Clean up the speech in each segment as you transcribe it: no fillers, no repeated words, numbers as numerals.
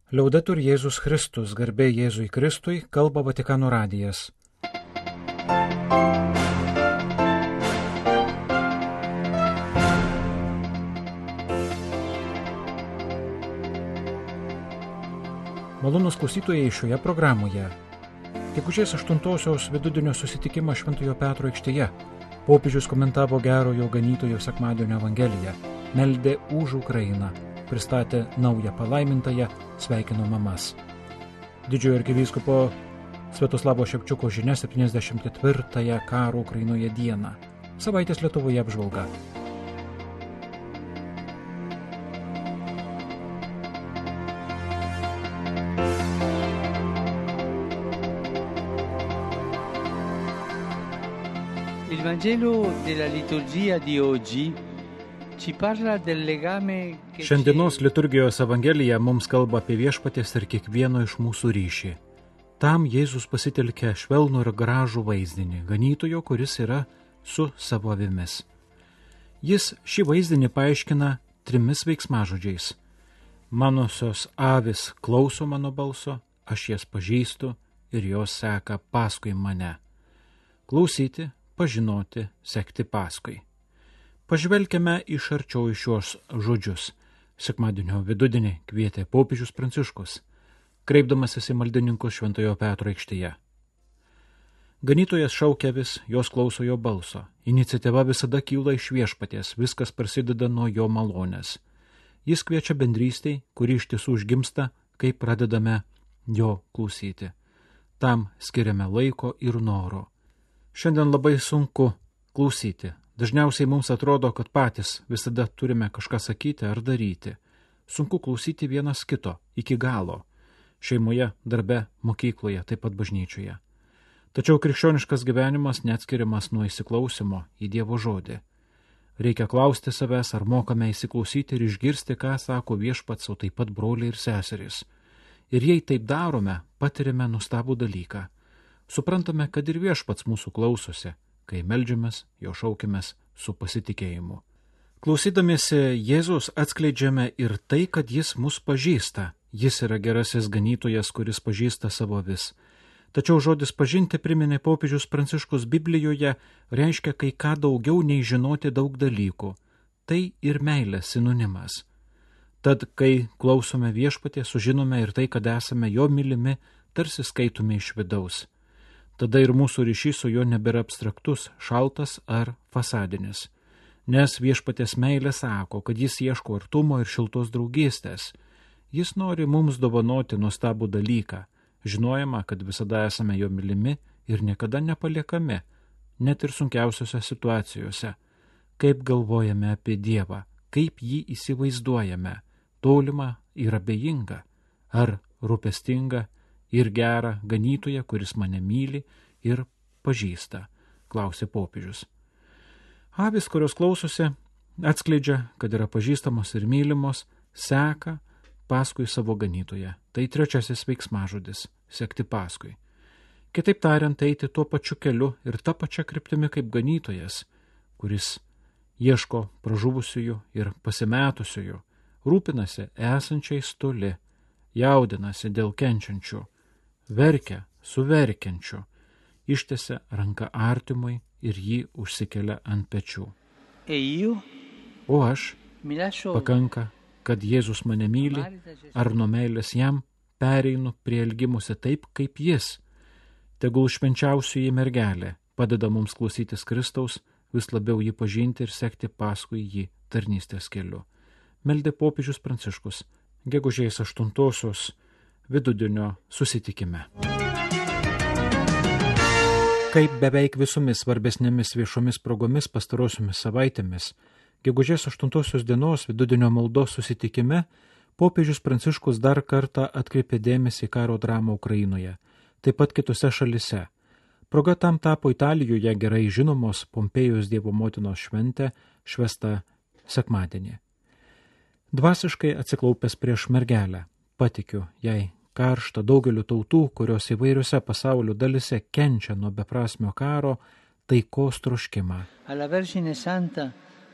Liaudetur Jėzus Kristus, garbė Jėzui Kristui, kalba Vatikano radijas. Malonūs klausytojai, šioje programoje. Gegužės 8-osios vidudienio susitikimą Šventojo Petro aikštėje. Popiežius komentavo gerojo ganytojo sekmadienio evangeliją, meldė už Ukrainą, pristatė naują palaimintąją, sveikino mamas. Didžiojo arkivyskupo Sviatoslavo Ševčiuko žinia 74-ąją karo Ukrainoje dieną. Savaitės Lietuvoje apžvalga. Il Vangelo della liturgia di oggi ci parla del legame che Šiandienos liturgijos evangelija mums kalba apie viešpaties ir kiekvieno iš mūsų ryšį. Tam Jėzus pasitelkia švelnų ir gražų vaizdinį, ganytojo, kuris yra su savo avimis. Jis šį vaizdinį paaiškina 3 veiksmažodžiais. Manosios avis klauso mano balso, aš jas pažįstu ir jos seka paskui mane. Klausyti, pažinoti, sekti paskui. Pažvelkime iš arčiau į šios žodžius. Sekmadienio vidudienį kvietė popiežius Pranciškus, kreipdamasis į maldininkus Šventojo Petro aikštėje. Ganytojas šaukia vis, jos klauso jo balso. Iniciatyva visada kyla iš viešpaties, viskas prasideda nuo jo malonės. Jis kviečia bendrystei, kuri iš tiesų užgimsta, kai pradedame jo klausyti. Tam skiriame laiko ir noro. Šiandien labai sunku klausyti. Dažniausiai mums atrodo, kad patys visada turime kažką sakyti ar daryti. Sunku klausyti vienas kito iki galo. Šeimoje, darbe, mokykloje, taip pat bažnyčioje. Tačiau krikščioniškas gyvenimas neatskiriamas nuo įsiklausimo į Dievo žodį. Reikia klausti savęs, ar mokame įsiklausyti ir išgirsti, ką sako viešpats, o taip pat broliai ir seserys. Ir jei taip darome, patiriame nuostabų dalyką. Suprantame, kad ir viešpats mūsų klausosi, kai meldžiamės, jo šaukimės su pasitikėjimu. Klausydamiesi Jėzus atskleidžiame ir tai, kad jis mus pažįsta. Jis yra gerasis ganytojas, kuris pažįsta savo avis. Tačiau žodis pažinti, priminė popiežius Pranciškus Biblijoje, reiškia kai ką daugiau nei žinoti daug dalykų. Tai ir meilės sinonimas. Tad, kai klausome viešpaties, sužinome ir tai, kad esame jo mylimi, tarsi skaitome iš vidaus. Tada ir mūsų ryšys su juo nebėra abstraktus, šaltas ar fasadinis. Nes viešpaties meilė sako, kad jis ieško artumo ir šiltos draugystės. Jis nori mums dovanoti nuostabų dalyką, žinojama, kad visada esame jo mylimi ir niekada nepaliekami, net ir sunkiausiose situacijose. Kaip galvojame apie Dievą, kaip jį įsivaizduojame, tolimą ir abejingą, ar rūpestingą ir gerą ganytoją, kuris mane myli ir pažįsta, klausė popiežius. Avis, kurios klausosi, atskleidžia, kad yra pažįstamos ir mylimos, seka paskui savo ganytoją. Tai 3 veiksmažodis – sekti paskui. Kitaip tariant, eiti tuo pačiu keliu ir tą pačią kryptimi kaip ganytojas, kuris ieško pražuvusiųjų ir pasimetusiųjų, rūpinasi esančiais toli, jaudinasi dėl kenčiančių, verkia su verkiančiu, ištiesia ranką artimui ir jį užsikelia ant pečių. O aš, pakanka, kad Jėzus mane myli, ar nuo meilės jam pereinu prie elgimusi taip, kaip jis. Tegul švenčiausioji mergelė padeda mums klausytis Kristaus, vis labiau jį pažinti ir sekti paskui jį tarnystės keliu. Meldė popiežius Pranciškus, gegužės 8-osios vidudienio susitikime. Kaip beveik visomis svarbesnėmis viešomis progomis pastarosiomis savaitėmis, gegužės 8-osios dienos vidudienio maldos susitikime popiežius Pranciškus dar kartą atkreipė dėmesį į karo dramą Ukrainoje, taip pat kitose šalise. Proga tam tapo Italijoje gerai žinomos Pompėjos Dievo motinos šventė, švęsta sekmadienį. Dvasiškai atsiklaupęs prieš mergelę, patikiu jai karštą daugeliu tautų, kurios įvairiose pasaulio dalise kenčia nuo beprasmio karo, taikos troškimą. Alla Vergine Santa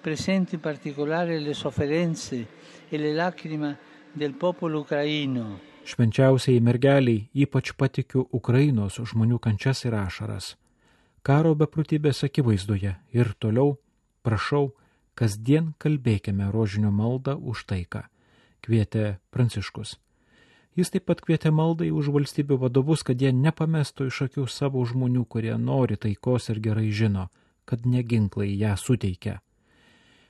presento in particolare le sofferenze e le lacrime del popolo ucraino Švenčiausiai mergeliai ypač patikiu Ukrainos žmonių kančias ir ašaras. Karo beprotybės akivaizdoje ir toliau prašau, kasdien kalbėkime rožinio maldą už taiką, kvietė Pranciškus. Jis taip pat kvietė maldai už valstybių vadovus, kad jie nepamestų iš akių savo žmonių, kurie nori taikos ir gerai žino, kad ne ginklai ją suteikia.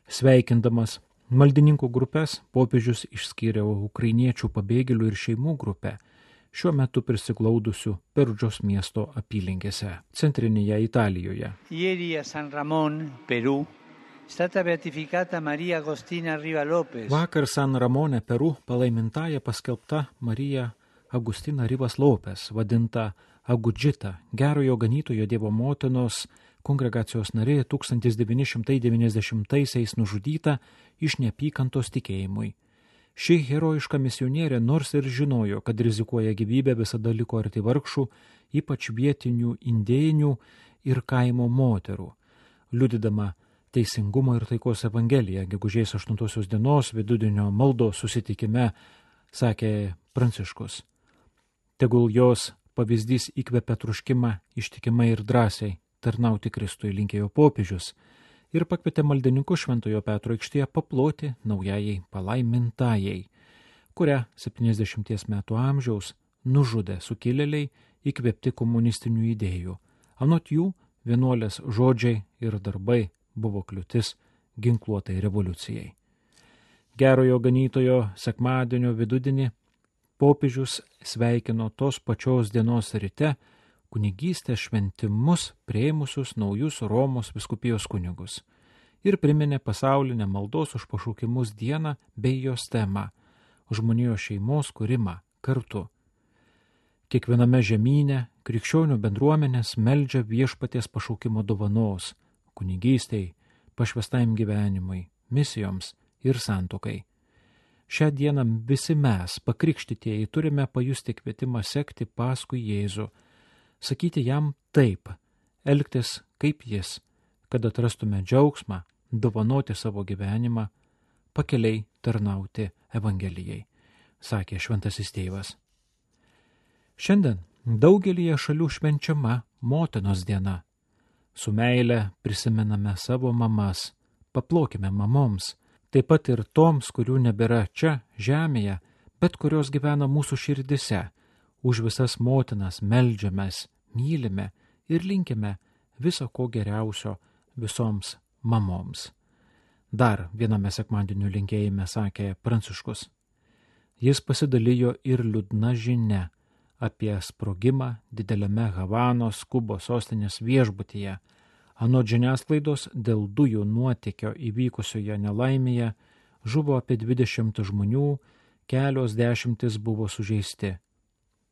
Sveikindamas maldininkų grupės, popiežius išskyrė ukrainiečių pabėgėlių ir šeimų grupę, šiuo metu prisiglaudusių Perudžos miesto apylinkėse, centrinėje Italijoje. Ieri a San Ramon, Perù, stata beatificata Marija Agostina Riva Lopez. Vakar San Ramone, Peru, palaimintąja paskelbta Marija Agustina Rivas Lopez, vadinta Agudžita, gerojo ganytojo Dievo motinos kongregacijos narė 1990-aisiais nužudyta iš neapykantos tikėjimui. Ši herojiška misionierė nors ir žinojo, kad rizikuoja gyvybę, visada liko arti vargšų, ypač vietinių indėjinių ir kaimo moterų. Liudydama teisingumo ir taikos evangeliją, gegužės 8 dienos vidudienio maldos susitikime, sakė Pranciškus. Tegul jos pavyzdys įkvepia troškimą ištikimai ir drąsiai tarnauti Kristui, linkėjo popiežius ir pakvietė maldininkų Šventojo Petro aikštėje paploti naujajai palaimintajai, kurią 70 metų amžiaus nužudė sukilėliai įkvėpti komunistinių idėjų. Anot jų, vienuolės žodžiai ir darbai buvo kliūtis ginkluotai revoliucijai. Gerojo ganytojo sekmadienio vidudienį popiežius sveikino tos pačios dienos ryte kunigystės šventimus priėmusius naujus Romos vyskupijos kunigus ir priminė pasaulinę maldos už pašaukimus dieną bei jos temą – žmonijos šeimos kūrimą kartu. Kiekviename žemyne krikščionių bendruomenės meldžia viešpaties pašaukimo dovanos – kunigystei, pašvestajam gyvenimui, misijoms ir santuokai. Šią dieną visi mes, pakrikštytieji, turime pajusti kvietimą sekti paskui Jėzų, sakyti jam taip, elgtis kaip jis, kad atrastume džiaugsmą, dovanoti savo gyvenimą, pakeliai tarnauti Evangelijai, sakė šventasis tėvas. Šiandien daugelyje šalių švenčiama motinos diena. Su meile prisimename savo mamas, paplokime mamoms, taip pat ir toms, kurių nebėra čia, žemėje, bet kurios gyvena mūsų širdise. Už visas motinas meldžiamės, mylime ir linkime viso ko geriausio visoms mamoms. Dar viename sekmadienio linkėjime sakė Pranciškus. Jis pasidalijo ir liūdna žinia apie sprogimą dideliame Havanos, Kubos sostinės viešbutyje. Anot žiniasklaidos, dėl dujų nuotėkio įvykusioje nelaimėje žuvo apie 20 žmonių, kelios dešimtis buvo sužeisti.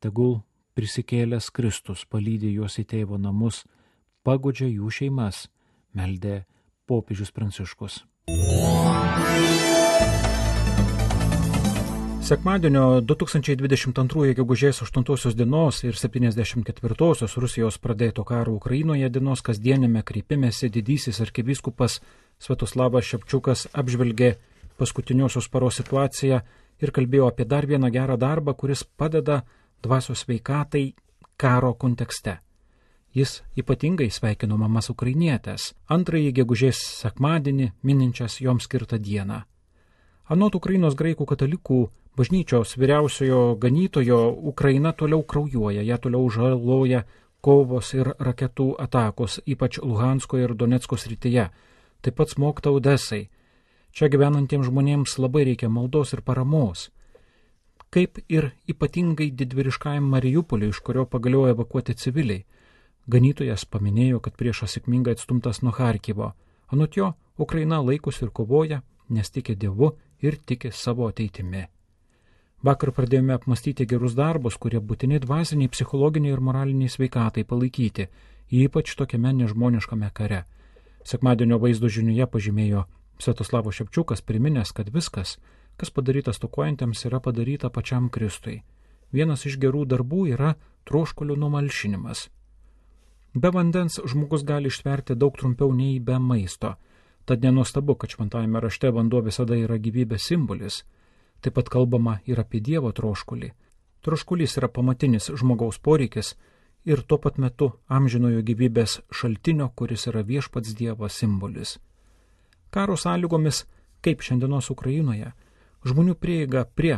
Tegul prisikėlęs Kristus palydė juos į tėvo namus, paguodžia jų šeimas, meldė popiežius Pranciškus. Sekmadienio 2022 gegužės 8 dienos ir 74 Rusijos pradėto karo Ukrainoje dienos kasdienėme kreipimėsi didysis arkivyskupas Sviatoslavas Ševčiukas apžvelgė paskutiniosios paros situaciją ir kalbėjo apie dar vieną gerą darbą, kuris padeda dvasios sveikatai karo kontekste. Jis ypatingai sveikino mamas ukrainietės, antrąjį gegužės sekmadienį mininčias joms skirtą dieną. Anot Ukrainos graikų katalikų bažnyčios vyriausiojo ganytojo, Ukraina toliau kraujuoja, ją toliau žaloja kovos ir raketų atakos, ypač Luhansko ir Donecko srityje, taip pat smogta Odesai. Čia gyvenantiems žmonėms labai reikia maldos ir paramos. Kaip ir ypatingai didvyriškajam Mariupoliui, iš kurio pagaliau evakuoti civiliai. Ganytojas paminėjo, kad priešas sėkmingai atstumtas nuo Charkivo. Anot jo, Ukraina laikosi ir kovoja, nes tiki Dievu ir tiki savo ateitimi. Vakar pradėjome apmastyti gerus darbus, kurie būtini dvasiniai, psichologiniai ir moraliniai sveikatai palaikyti, ypač tokiame nežmoniškame kare. Sekmadienio vaizdo žinioje pažymėjo Sviatoslavas Ševčiukas, priminęs, kad viskas, kas padaryta stokojantiems, yra padaryta pačiam Kristui. Vienas iš gerų darbų yra troškulio numalšinimas. Be vandens žmogus gali ištverti daug trumpiau nei be maisto. Tad nenuostabu, kad šventajame rašte vanduo visada yra gyvybės simbolis. Taip pat kalbama ir apie Dievo troškulį. Troškulys yra pamatinis žmogaus poreikis ir tuo pat metu amžinojo gyvybės šaltinio, kuris yra viešpats Dievas simbolis. Karo sąlygomis, kaip šiandienos Ukrainoje, žmonių prieiga prie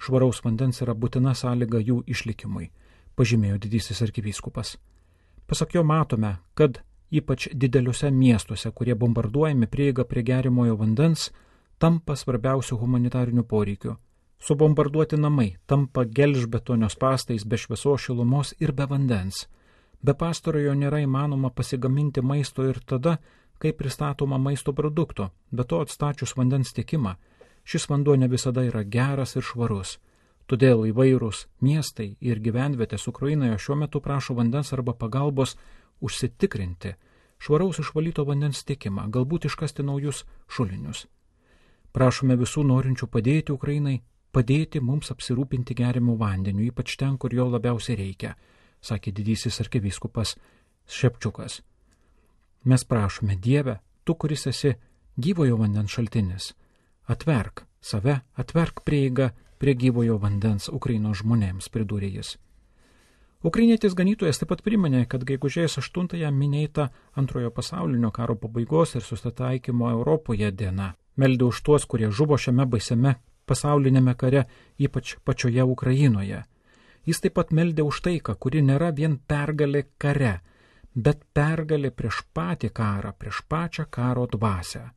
švaraus vandens yra būtina sąlyga jų išlikimui, pažymėjo didysis arkivyskupas. Pasak jo matome, kad ypač dideliuose miestuose, kurie bombarduojami, prieiga prie gerimojo vandens tampa svarbiausių humanitarinių poreikių. Subombarduoti namai tampa gelžbetonio spąstais be šviesos, šilumos ir be vandens. Be pastarojo nėra įmanoma pasigaminti maisto ir tada, kai pristatoma maisto produkto, be to atstačius vandens tiekimą, šis vanduo ne visada yra geras ir švarus. Todėl įvairūs miestai ir gyvenvietės Ukrainoje šiuo metu prašo vandens arba pagalbos užsitikrinti švaraus išvalyto vandens tiekimą, galbūt iškasti naujus šulinius. Prašome visų norinčių padėti Ukrainai, padėti mums apsirūpinti geriamų vandeniu, ypač ten, kur jo labiausiai reikia, sakė didysis arkivyskupas Šepčiukas. Mes prašome, Dieve, tu, kuris esi gyvojo vandens šaltinis, atverk save, atverk prieigą prie gyvojo vandens Ukrainos žmonėms, pridūrė jis. Ukrainietis ganytojas taip pat priminė, kad gegužės 8-ąją minėta Antrojo pasaulinio karo pabaigos ir susitaikymo Europoje diena. Meldė už tuos, kurie žuvo šiame baisiame pasaulinėme kare, ypač pačioje Ukrainoje. Jis taip pat meldė už taiką, kuri nėra vien pergalė kare, bet pergalė prieš patį karą, prieš pačią karo dvasią.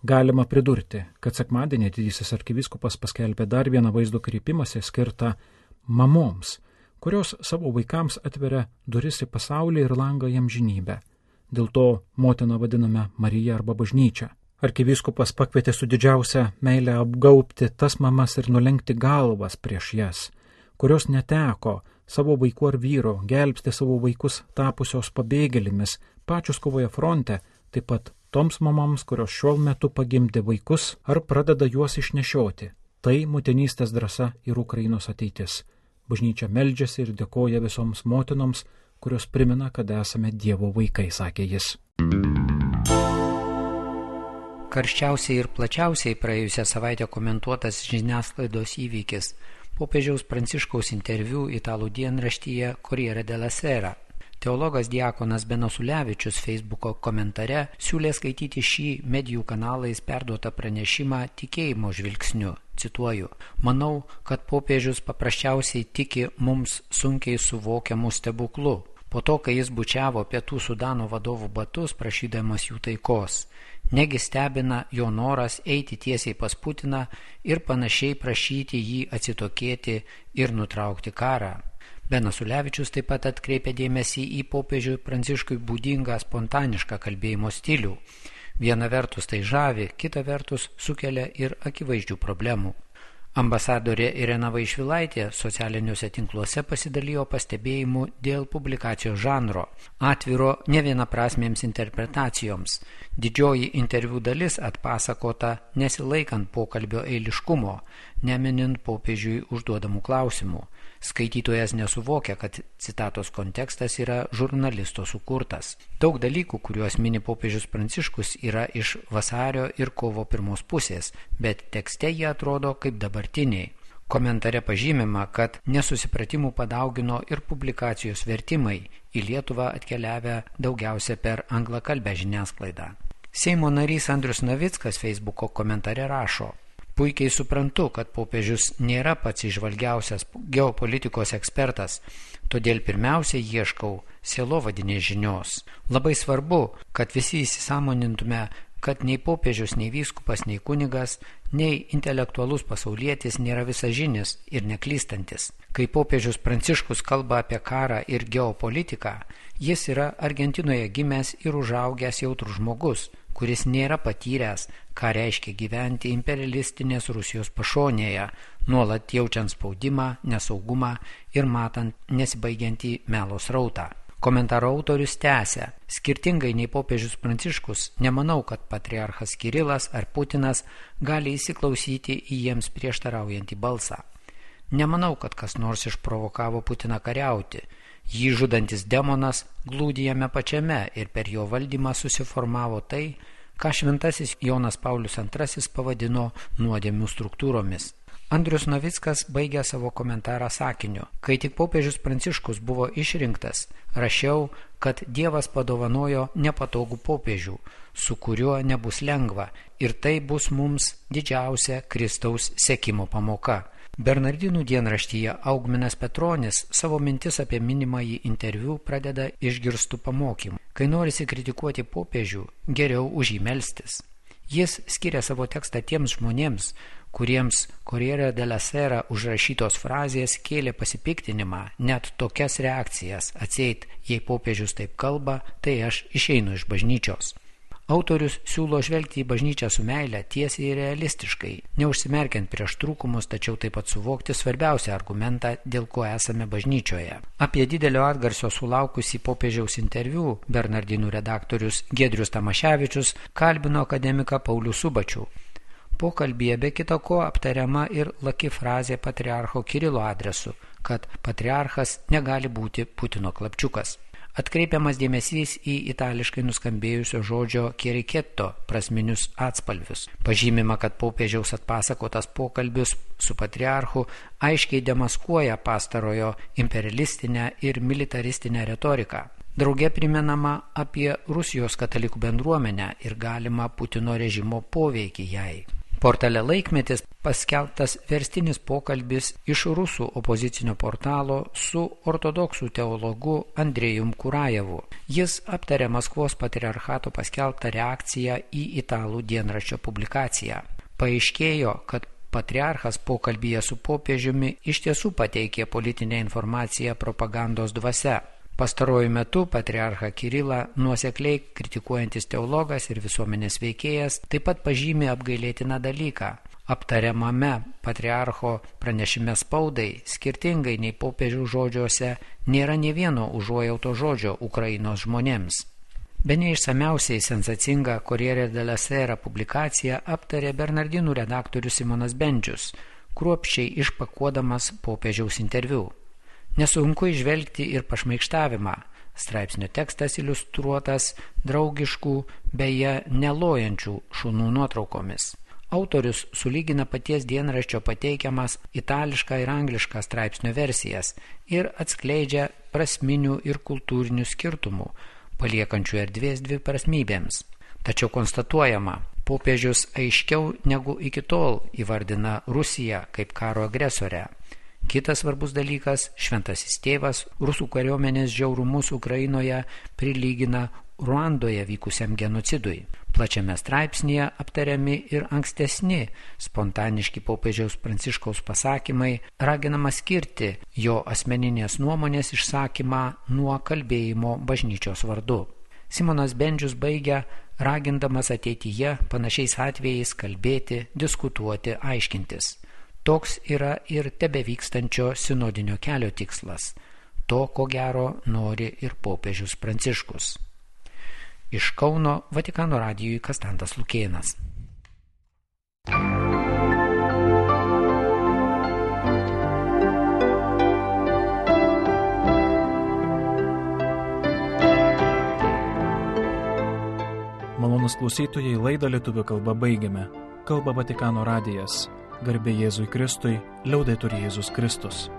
Galima pridurti, kad sekmadienį didysis arkivyskupas paskelbė dar vieną vaizdo kreipimąsi skirtą mamoms, kurios savo vaikams atveria duris į pasaulį ir langą į amžinybę. Dėl to motiną vadiname Marija arba bažnyčia. Arkivyskupas pakvietė su didžiausia meile apgaubti tas mamas ir nulenkti galvas prieš jas, kurios neteko savo vaikų ar vyro, gelbsti savo vaikus tapusios pabėgėlimis, pačios kovoje fronte, taip pat toms mamams, kurios šiuo metu pagimdė vaikus ar pradeda juos išnešioti. Tai motinystės drąsa ir Ukrainos ateitis. Bažnyčia meldžiasi ir dėkoja visoms motinoms, kurios primena, kad esame Dievo vaikai, sakė jis. Karščiausiai ir plačiausiai praėjusią savaitę komentuotas žiniasklaidos įvykis – popiežiaus Pranciškaus interviu italų dienraštyje Corriere della Sera. Teologas diakonas Benas Ulevičius Facebooko komentare siūlė skaityti šį medijų kanalais perduotą pranešimą tikėjimo žvilgsniu. Cituoju, manau, kad popiežius paprasčiausiai tiki mums sunkiai suvokiamų stebuklų. Po to, kai jis bučiavo Pietų Sudano vadovų batus, prašydamas jų taikos. Negi stebina jo noras eiti tiesiai pas Putiną ir panašiai prašyti jį atsitokėti ir nutraukti karą. Benas Ulevičius taip pat atkreipė dėmesį į popiežiui Pranciškui būdingą spontanišką kalbėjimo stilių. Viena vertus tai žavi, kita vertus sukelia ir akivaizdžių problemų. Ambasadorė Irena Vaišvilaitė socialiniuose tinkluose pasidalijo pastebėjimu dėl publikacijos žanro, atviro nevienaprasmėms interpretacijoms. Didžioji interviu dalis atpasakota nesilaikant pokalbio eiliškumo, neminint popiežiui užduodamų klausimų. Skaitytojas nesuvokia, kad citatos kontekstas yra žurnalisto sukurtas. Daug dalykų, kuriuos mini popiežius Pranciškus, yra iš vasario ir kovo pirmos pusės, bet tekste jie atrodo kaip dabartiniai. Komentare pažymima, kad nesusipratimų padaugino ir publikacijos vertimai, į Lietuvą atkeliavę daugiausia per anglakalbę žiniasklaidą. Seimo narys Andrius Navickas Facebooko komentare rašo: puikiai suprantu, kad popiežius nėra pats įžvalgiausias geopolitikos ekspertas, todėl pirmiausia ieškau sielovadinės žinios. Labai svarbu, kad visi įsisąmonintume, kad nei popiežius, nei vyskupas, nei kunigas, nei intelektualus pasaulietis nėra visažinis ir neklystantis. Kai popiežius Pranciškus kalba apie karą ir geopolitiką, jis yra Argentinoje gimęs ir užaugęs jautrus žmogus, kuris nėra patyręs, ką reiškia gyventi imperialistinės Rusijos pašonėje, nuolat jaučiant spaudimą, nesaugumą ir matant nesibaigiantį melo srautą. Komentaro autorius tęsia: skirtingai nei popiežius Pranciškus, nemanau, kad patriarchas Kirilas ar Putinas gali įsiklausyti į jiems prieštaraujantį balsą. Nemanau, kad kas nors išprovokavo Putiną kariauti. Jį žudantis demonas glūdi jame pačiame ir per jo valdymą susiformavo tai, ką šventasis Jonas Paulius II pavadino nuodėmių struktūromis. Andrius Novickas baigė savo komentarą sakiniu: kai tik popiežius Pranciškus buvo išrinktas, rašiau, kad Dievas padovanojo nepatogų popiežių, su kuriuo nebus lengva, ir tai bus mums didžiausia Kristaus sekimo pamoka. Bernardinų dienraštyje Augminas Petronis savo mintis apie minimąjį interviu pradeda išgirstų pamokymų. Kai norisi kritikuoti popiežių, geriau už jį melstis. Jis skiria savo tekstą tiems žmonėms, kuriems Corriere della Sera užrašytos frazės kėlė pasipiktinimą, net tokias reakcijas: atseit, jei popiežius taip kalba, tai aš išeinu iš bažnyčios. Autorius siūlo žvelgti į bažnyčią su meile, tiesiai ir realistiškai, neužsimerkiant prieš trūkumus, tačiau taip pat suvokti svarbiausią argumentą, dėl ko esame bažnyčioje. Apie didelio atgarsio sulaukusį popiežiaus interviu Bernardinų redaktorius Giedrius Tamaševičius kalbino akademiką Paulių Subačių. Pokalbyje be kita ko aptariama ir laki frazė patriarcho Kirilo adresu, kad patriarchas negali būti Putino klapčiukas. Atkreipiamas dėmesys į itališkai nuskambėjusio žodžio keriketto prasminius atspalvius. Pažymima, kad popiežiaus atpasakotas pokalbis su patriarchu aiškiai demaskuoja pastarojo imperialistinę ir militaristinę retoriką. Drauge primenama apie Rusijos katalikų bendruomenę ir galimą Putino režimo poveikį jai. Portale Laikmetis paskelbtas verstinis pokalbis iš rusų opozicinio portalo su ortodoksų teologu Andrejum Kurajevu. Jis aptarė Maskvos patriarchato paskelbtą reakciją į italų dienraščio publikaciją. Paaiškėjo, kad patriarchas pokalbyje su popiežiumi iš tiesų pateikė politinę informaciją propagandos dvasia. Pastaruoju metu patriarchą Kirilą nuosekliai kritikuojantis teologas ir visuomenės veikėjas taip pat pažymė apgailėtiną dalyką. Aptariamame patriarcho pranešime spaudai, skirtingai nei popiežių žodžiuose, nėra nė vieno užuojauto žodžio Ukrainos žmonėms. Bene išsamiausiai sensacingą Corriere della Sera publikaciją aptarė Bernardinų redaktorius Simonas Bendžius, kruopščiai išpakuodamas popiežiaus interviu. Nesunku įžvelgti ir pašmaikštavimą. Straipsnio tekstas iliustruotas draugiškų, beje, nelojančių šunų nuotraukomis. Autorius sulygina paties dienraščio pateikiamas itališką ir anglišką straipsnio versijas ir atskleidžia prasminių ir kultūrinių skirtumų, paliekančių erdvės dviprasmybėms. Tačiau konstatuojama, popiežius aiškiau negu iki tol įvardina Rusiją kaip karo agresorę. Kitas svarbus dalykas, šventasis tėvas rusų kariuomenės žiaurumus Ukrainoje prilygina Ruandoje vykusiam genocidui. Plačiame straipsnėje aptariami ir ankstesni spontaniški popiežiaus Pranciškaus pasakymai, raginama skirti jo asmeninės nuomonės išsakymą nuo kalbėjimo bažnyčios vardu. Simonas Bendžius baigia, ragindamas ateityje panašiais atvejais kalbėti, diskutuoti, aiškintis. Toks yra ir tebevykstančio sinodinio kelio tikslas. To, ko gero, nori ir popiežius Pranciškus. Iš Kauno Vatikano radijui Kastantas Lukėnas. Malonūs klausytojai, laidą lietuvių kalba baigiame. Kalba Vatikano radijas. Garbė Jėzui Kristui, liaudetur Jėzus Kristus.